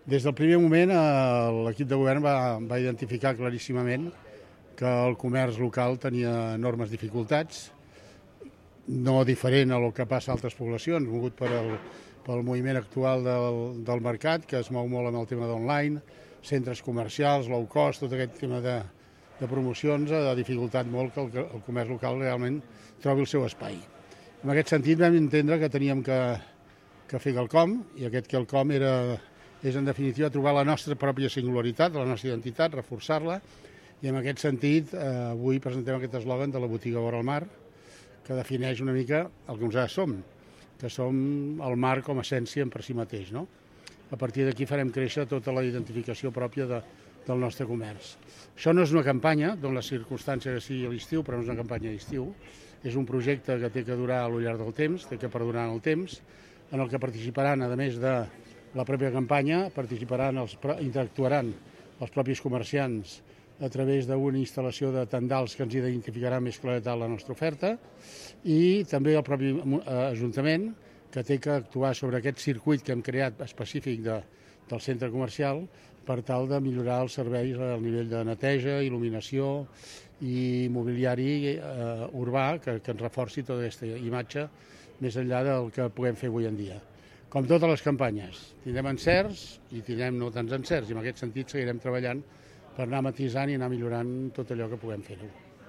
Des del primer moment l'equip de govern va identificar claríssimament que el comerç local tenia enormes dificultats, no diferent a el que passa a altres poblacions, mogut pel moviment actual del mercat, que es mou molt amb el tema d'online, centres comercials, low cost, tot aquest tema de promocions ha dificultat molt que el comerç local realment trobi el seu espai. En aquest sentit vam entendre que teníem que fer quelcom, i aquest quelcom és en definitiva trobar la nostra pròpia singularitat, la nostra identitat, reforçar-la, i en aquest sentit avui presentem aquest eslògan de la botiga vora el mar, que defineix una mica el que nosaltres som, que som el mar com a essència per si mateix, no? A partir d'aquí farem créixer tota la identificació pròpia del nostre comerç. Això no és una campanya, d'on la circumstància que sigui a l'estiu, però no és una campanya d'estiu, és un projecte que té que durar al llarg del temps, té que perdurar en el temps, en el que participaran, a més de la pròpia campanya, interactuaran els propis comerciants a través d'una instal·lació de tendals que ens identificarà més claretat la nostra oferta, i també el propi Ajuntament, que té que actuar sobre aquest circuit que hem creat específic del centre comercial per tal de millorar els serveis al nivell de neteja, il·luminació i mobiliari urbà que ens reforci tota aquesta imatge més enllà del que puguem fer avui en dia. Com totes les campanyes, tindrem encerts i tindrem no tants encerts, i en aquest sentit seguirem treballant per anar matisant i anar millorant tot allò que puguem fer-ho.